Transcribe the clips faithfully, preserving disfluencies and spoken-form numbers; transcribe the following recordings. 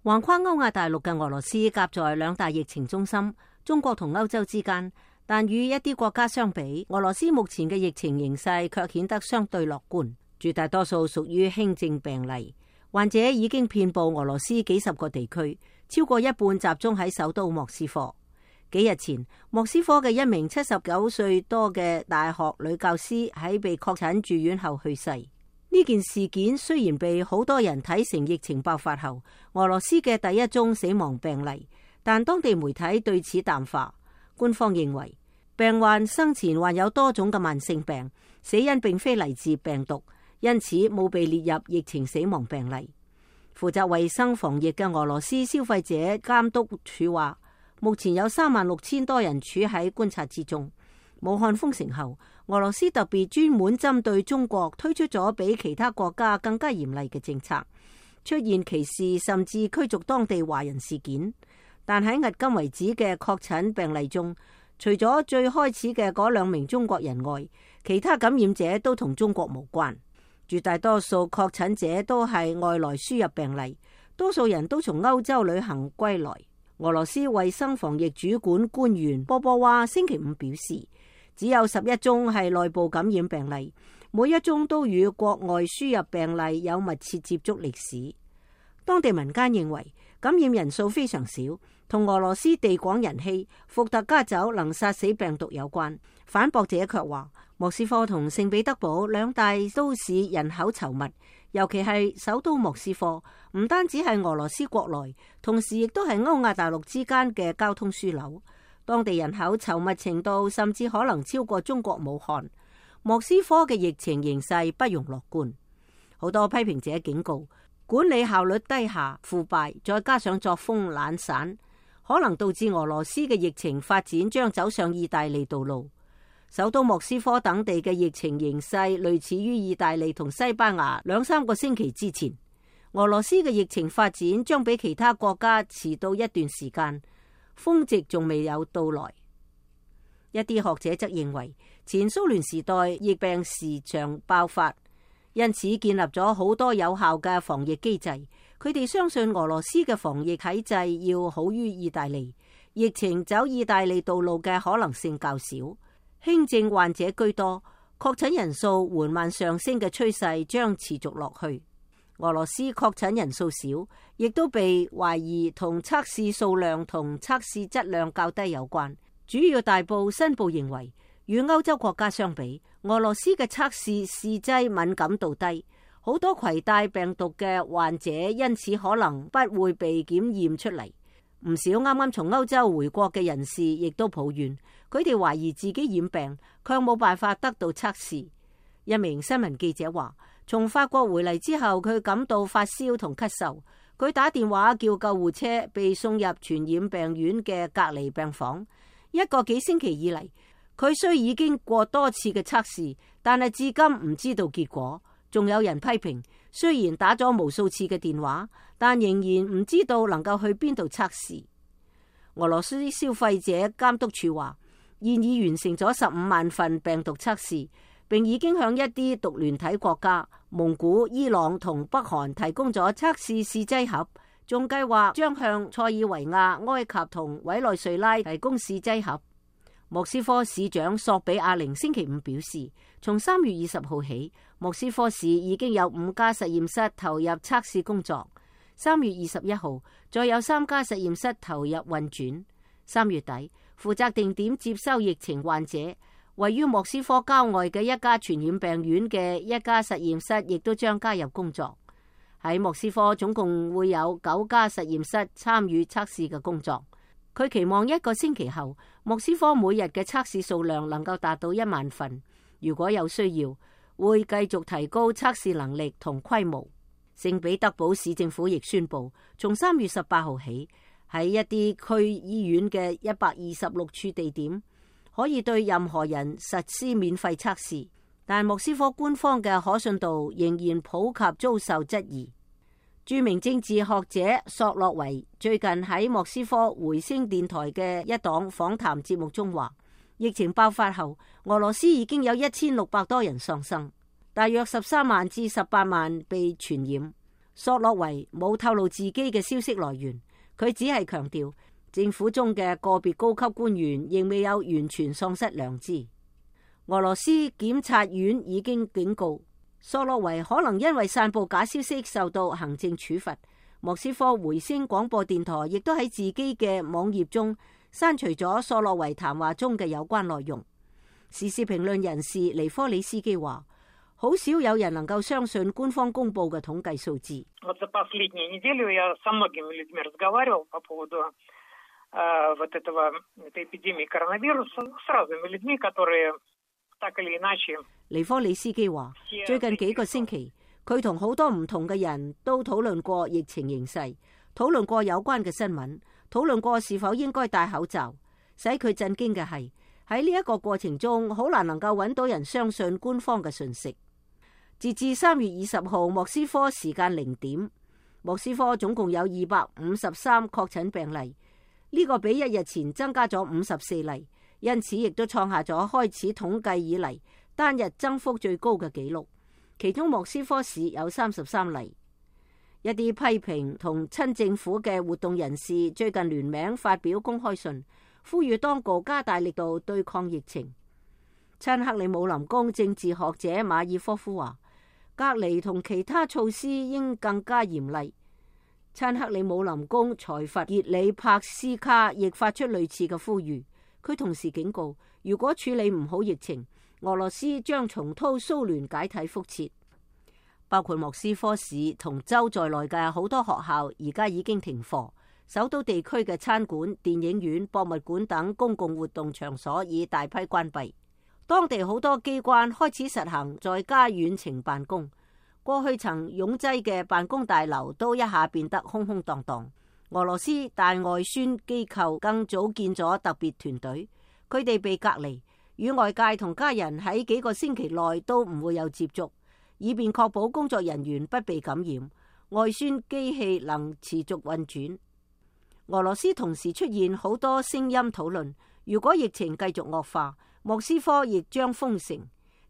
橫跨歐亞大陸嘅俄羅斯夾在兩大疫情中心，中國同歐洲之間，但與一啲國家相比，俄羅斯目前嘅疫情形勢卻顯得相對樂觀。絕大多數屬於輕症病例，患者已經遍布俄羅斯幾十個地區，超過一半集中喺首都莫斯科。幾日前，莫斯科嘅一名七十九歲多嘅大學女教師喺被確診住院後去世。呢件事件雖然被好多人睇成疫情爆發後俄羅斯嘅第一宗死亡病例，但當地媒體對此淡化。官方認為病患生前患有多種嘅慢性病，死因並非嚟自病毒，因此冇被列入疫情死亡病例。負責衛生防疫嘅俄羅斯消費者監督署話，目前有三萬六千多人處喺觀察之中。武漢封城後，俄羅斯特別專門針對中國推出咗比其他國家更加嚴厲嘅政策，出現歧視甚至驅逐當地華人事件。但喺迄今為止嘅確診病例中，除咗最開始嘅嗰兩名中國人外，其他感染者都同中國無關。絕大多數確診者都係外來輸入病例，多數人都從歐洲旅行歸來。俄羅斯衛生防疫主管官員波波娃星期五表示，只有十一宗係內部感染病例，每一宗都與國外輸入病例有密切接觸歷史。當地民間認為感染人數非常少，同俄羅斯地廣人稀、伏特加酒能殺死病毒有關。反駁者卻話，莫斯科同聖彼得堡兩大都市人口稠密，尤其係首都莫斯科，唔單止係俄羅斯國內，同時亦都係歐亞大陸之間嘅交通樞紐。當地人口稠密程度甚至可能超過中國武漢。莫斯科嘅疫情形勢不容樂觀。好多批評者警告，管理效率低下、腐敗，再加上作風懶散，可能導致俄羅斯嘅疫情發展將走上意大利道路。首都莫斯科等地嘅疫情形勢類似於意大利同西班牙兩三個星期之前。俄羅斯嘅疫情發展將比其他國家遲到一段時間，峰值仲未有到來。一啲學者則認為，前蘇聯時代疫病時常爆發，因此建立咗好多有效嘅防疫機制。佢哋相信俄羅斯嘅防疫體制要好於意大利，疫情走意大利道路嘅可能性較少。輕症患者居多，確診人數緩慢上升嘅趨勢將持續落去。俄羅斯確診人數少，亦都被懷疑同測試數量同測試質量較低有關。主要大報新報認為，與歐洲國家相比，俄羅斯嘅測試試劑敏感度低，好多攜帶病毒嘅患者因此可能不會被檢驗出嚟。唔少啱啱從歐洲回國嘅人士亦都抱怨，佢哋懷疑自己染病，卻冇辦法得到測試。一名新聞記者話，從法國回嚟之後，佢感到發燒同咳嗽，佢打電話叫救護車，被送入傳染病院嘅隔離病房。一個幾星期以嚟，佢雖已經過多次嘅測試，但係至今唔知道結果。仲有人批評，雖然打咗無數次嘅電話，但仍然唔知道能夠去邊度測試。俄羅斯消費者監督署話，現已完成咗十五萬份病毒測試，並已經向一啲獨聯體國家蒙古、伊朗同北韓提供咗測試試劑盒，仲計劃將向塞爾維亞、埃及同委內瑞拉提供試劑盒。莫斯科市長索比亞寧星期五表示，從三月二十號起，莫斯科市已經有五家實驗室投入測試工作。三月二十一號，再有三家實驗室投入運轉。三月底，負責定點接收疫情患者，位於莫斯科郊外嘅一家傳染病院嘅一家實驗室亦都將加入工作。喺莫斯科總共會有九家實驗室參與測試嘅工作。佢期望一個星期後，莫斯科每日嘅測試數量能夠達到一萬份。如果有需要，會繼續提高測試能力同規模。聖彼得堡市政府亦宣布，從三月十八號起，喺一啲區醫院嘅一百二十六處地點，可以對任何人實施免費測試。但莫斯科官方嘅可信度仍然普及遭受質疑。著名政治學者索洛維最近喺莫斯科回聲電台嘅一檔訪談節目中話，疫情爆發後，俄羅斯已經有一千六百多人喪生，大約十三萬至十八萬被傳染。索洛維冇透露自己嘅消息來源，佢只係強調政府中嘅個別高級官員仍未有完全喪失良知。俄羅斯檢察院已經警告索洛維可能因為散布假消息受到行政處罰。莫斯科回聲廣播電台亦都喺自己嘅網頁中刪除咗索洛維談話中嘅有關內容。時事評論人士尼科里斯基話，好少有人能夠相信官方公布嘅統計數字。尼科里斯基話，最近幾個星期，佢同好多唔同嘅人都討論過疫情形勢，討論過有關嘅新聞，討論過是否應該戴口罩。使佢震驚嘅係，喺呢一個過程中，好難能夠揾到人相信官方嘅訊息。截至三月二十號莫斯科時間零點，莫斯科總共有二百五十三確診病例，呢、這個比一日前增加咗五十四例，因此亦都創下咗開始統計以嚟單日增幅最高嘅紀錄。其中莫斯科市有三十三例。一啲批評同親政府嘅活動人士最近聯名發表公開信，呼籲當局加大力度對抗疫情。親克里姆林宮政治學者馬爾科夫話，隔離同其他措施應更加嚴厲。親克里姆林宮財閥熱里帕斯卡亦發出類似嘅呼籲。佢同時警告，如果處理唔好疫情，俄羅斯將重蹈蘇聯解體覆轍。包括莫斯科市同州在內嘅好多學校而家已經停課，首都地區嘅餐館、電影院、博物館等公共活動場所已大批關閉。當地好多機關開始實行在家遠程辦公，過去曾擁擠嘅辦公大樓都一下變得空空蕩蕩。俄羅斯大外宣機構更組建咗特別團隊，佢哋被隔離，與外界同家人喺幾個星期內都唔會有接觸，以便確保工作人員不被感染，外宣機器能持續運轉。俄羅斯同時出現好多聲音討論，如果疫情繼續惡化，莫斯科亦將封城，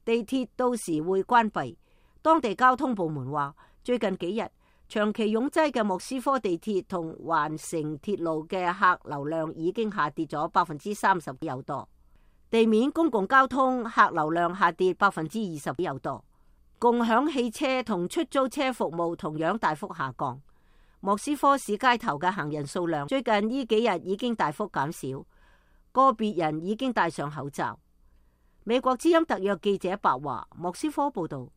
地鐵到時會關閉。當地交通部門話，最近幾日長期擁擠嘅莫斯科地鐵同環城鐵路嘅客流量已經下跌咗百分之三十有多，地面公共交通客流量下跌百分之二十有多，共享汽車同出租車服務同樣大幅下降。莫斯科市街頭嘅行人數量最近呢幾日已經大幅減少，個別人已經戴上口罩。美國之音特約記者白華莫斯科報道。